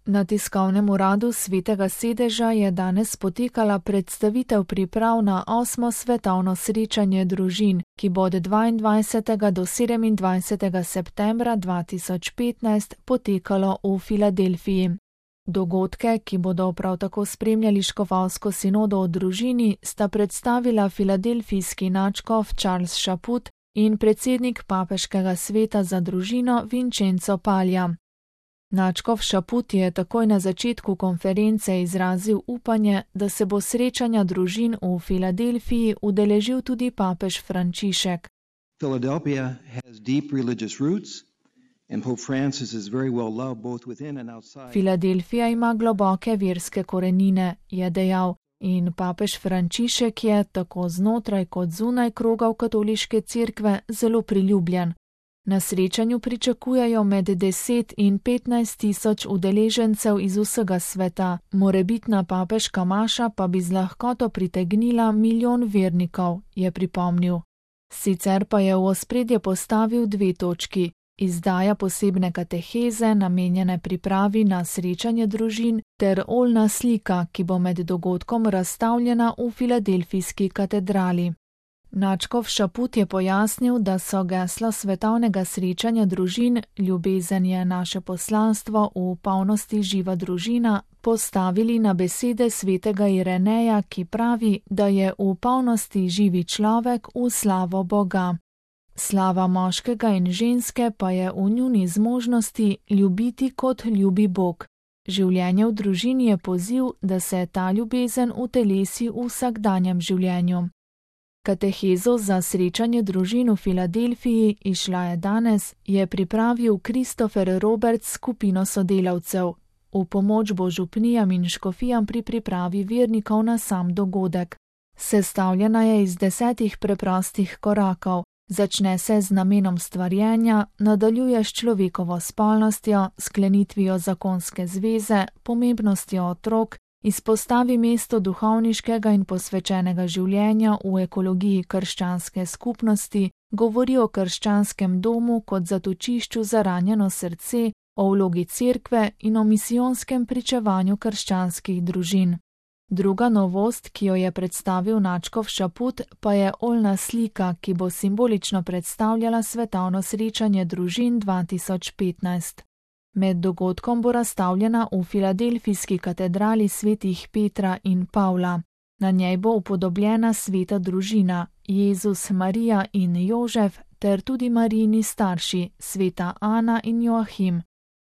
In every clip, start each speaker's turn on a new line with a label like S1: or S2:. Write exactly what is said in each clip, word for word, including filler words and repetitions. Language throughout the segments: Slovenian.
S1: Na tiskovnem uradu Svetega sedeža je danes potekala predstavitev priprav na osmo svetovno srečanje družin, ki bo od dvaindvajsetega do sedemindvajsetega septembra dva tisoč petnajst potekalo v Filadelfiji. Dogodke, ki bodo prav tako spremljali škofovsko sinodo o družini, sta predstavila filadelfijski nadškof Charles Chaput in predsednik papeškega sveta za družino Vincenzo Paglia. Nadškof Chaput je takoj na začetku konference izrazil upanje, da se bo srečanja družin v Filadelfiji udeležil tudi papež Frančišek.
S2: Philadelphia has deep religious roots and Pope Francis is very well loved both within and outside.
S1: Filadelfija ima globoke verske korenine, je dejal, in papež Frančišek je tako znotraj kot zunaj krogov katoliške cerkve zelo priljubljen. Na srečanju pričakujejo med deset in petnajst tisoč udeležencev iz vsega sveta, morebitna papeška maša pa bi z lahkoto pritegnila milijon vernikov, je pripomnil. Sicer pa je v ospredje postavil dve točki: izdaja posebne kateheze, namenjene pripravi na srečanje družin, ter oljna slika, ki bo med dogodkom razstavljena v Filadelfijski katedrali. Nadškof Chaput je pojasnil, da so geslo svetovnega srečanja družin Ljubezen je naše poslanstvo, v polnosti živa družina, postavili na besede svetega Ireneja, ki pravi, da je v polnosti živi človek v slavo Boga. Slava moškega in ženske pa je v njuni zmožnosti ljubiti kot ljubi Bog. Življenje v družini je poziv, da se ta ljubezen utelesi v vsakdanjem življenju. Katehezo za srečanje družin v Filadelfiji, izšla je danes, je pripravil Christopher Roberts skupino sodelavcev. V pomoč bo župnijam in škofijam pri pripravi vernikov na sam dogodek. Sestavljena je iz desetih preprostih korakov. Začne se z namenom stvarjenja, nadaljuje s človekovo spolnostjo, sklenitvijo zakonske zveze, pomembnostjo otrok, izpostavi mesto duhovniškega in posvečenega življenja v ekologiji krščanske skupnosti, govori o krščanskem domu kot zatočišču za ranjeno srce, o vlogi cerkve in o misijonskem pričevanju krščanskih družin. Druga novost, ki jo je predstavil nadškof Chaput, pa je oljna slika, ki bo simbolično predstavljala svetovno srečanje družin dva tisoč petnajst. Med dogodkom bo razstavljena v Filadelfijski katedrali svetih Petra in Pavla. Na njej bo upodobljena sveta družina, Jezus, Marija in Jožef, ter tudi Marijini starši, sveta Ana in Joahim.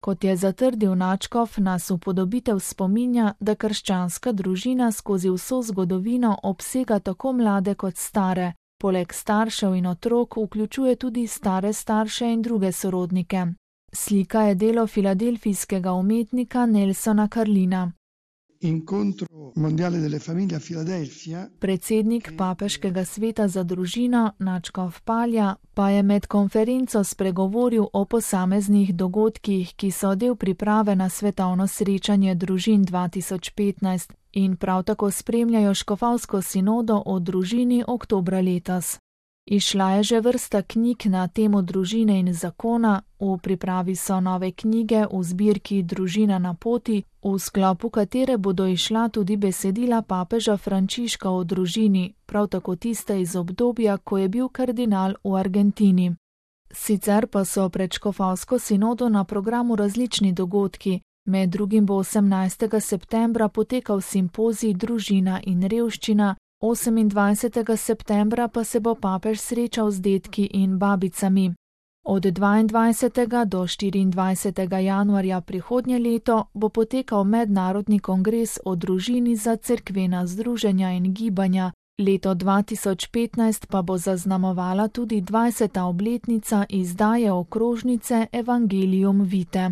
S1: Kot je zatrdil nadškof, nas upodobitev spominja, da krščanska družina skozi vso zgodovino obsega tako mlade kot stare, poleg staršev in otrok vključuje tudi stare starše in druge sorodnike. Slika je delo filadelfijskega umetnika Nelsona Carlina.
S3: Incontro mondiale delle famiglie a Filadelfija.
S1: Predsednik papeškega sveta za družino, nadškof Paglia, pa je med konferenco spregovoril o posameznih dogodkih, ki so del priprave na svetovno srečanje družin dva tisoč petnajst in prav tako spremljajo škofovsko sinodo o družini oktobra letos. Izšla je že vrsta knjig na temo družine in zakona, v pripravi so nove knjige v zbirki Družina na poti, v sklopu katere bodo izšla tudi besedila papeža Frančiška o družini, prav tako tiste iz obdobja, ko je bil kardinal v Argentini. Sicer pa so pred škofovsko sinodo na programu različni dogodki, med drugim bo osemnajstega septembra potekal simpozij Družina in revščina, osemindvajsetega septembra pa se bo papež srečal z dedki in babicami. Od dvaindvajsetega do štiriindvajsetega januarja prihodnje leto bo potekal mednarodni kongres o družini za cerkvena združenja in gibanja, leto dva tisoč petnajst pa bo zaznamovala tudi dvajseta obletnica izdaje okrožnice Evangelium Vitae.